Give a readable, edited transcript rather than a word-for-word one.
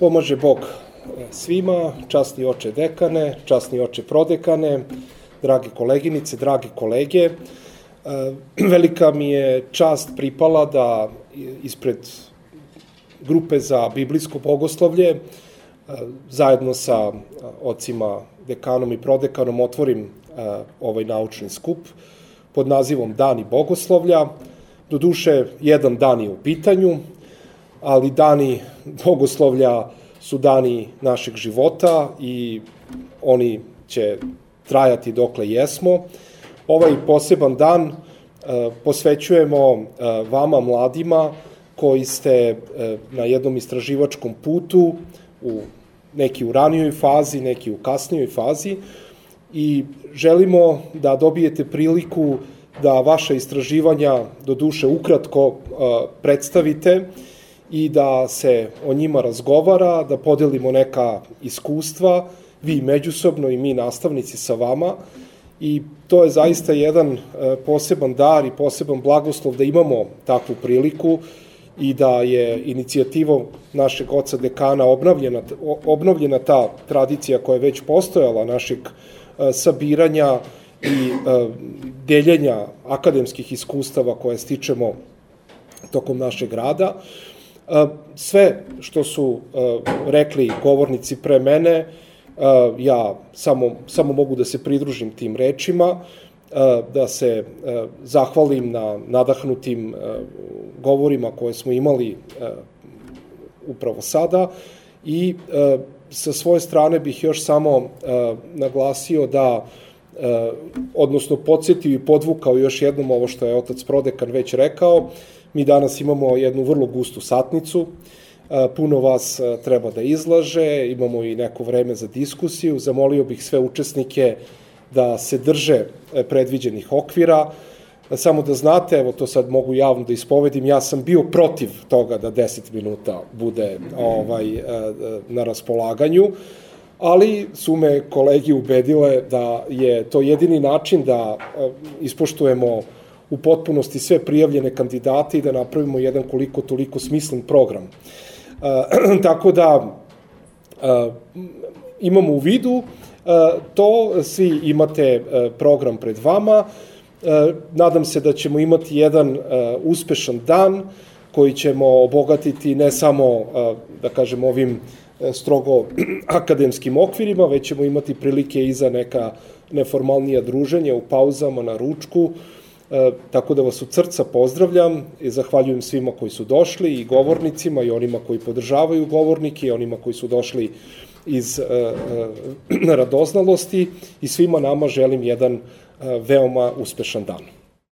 Pomaže Bog svima, časni oče dekane, časni oče prodekane, drage koleginice, dragi kolege. Velika mi je čast pripala da ispred grupe za biblijsko bogoslovlje zajedno sa ocima dekanom i prodekanom otvorim ovaj naučni skup pod nazivom Dani bogoslovlja. Doduše, jedan dan je u pitanju, ali dani bogoslovlja su dani našeg života i oni će trajati dokle jesmo. Ovaj poseban dan posvećujemo vama mladima koji ste na jednom istraživačkom putu, neki u ranijoj fazi, neki u kasnijoj fazi, i želimo da dobijete priliku da vaša istraživanja doduše ukratko predstavite i da se o njima razgovara, da podelimo neka iskustva, vi međusobno i mi nastavnici sa vama, i to je zaista jedan poseban dar i poseban blagoslov da imamo takvu priliku i da je inicijativom našeg oca dekana obnovljena ta tradicija koja je već postojala našeg sabiranja i deljenja akademskih iskustava koje stičemo tokom našeg rada. Sve što su rekli govornici pre mene, ja samo mogu da se pridružim tim rečima, da se zahvalim na nadahnutim govorima koje smo imali upravo sada, i sa svoje strane bih još samo naglasio da, odnosno podsjetio i podvukao još jednom ovo što je otac prodekan već rekao. Mi danas imamo jednu vrlo gustu satnicu, puno vas treba da izlaže, imamo i neko vreme za diskusiju. Zamolio bih sve učesnike da se drže predviđenih okvira. Samo da znate, evo to sad mogu javno da ispovedim, ja sam bio protiv toga da 10 minuta bude na raspolaganju, ali su me kolegi ubedile da je to jedini način da ispoštujemo u potpunosti sve prijavljene kandidate i da napravimo jedan koliko toliko smislen program. Tako da imamo u vidu to, svi imate program pred vama. Nadam se da ćemo imati jedan uspešan dan koji ćemo obogatiti ne samo, da kažem, ovim strogo akademskim okvirima, već ćemo imati prilike i za neka neformalnija druženja u pauzama, na ručku. Tako da vas od srca pozdravljam i zahvaljujem svima koji su došli, i govornicima, i onima koji podržavaju govornike, i onima koji su došli iz radoznalosti, i svima nama želim jedan veoma uspešan dan.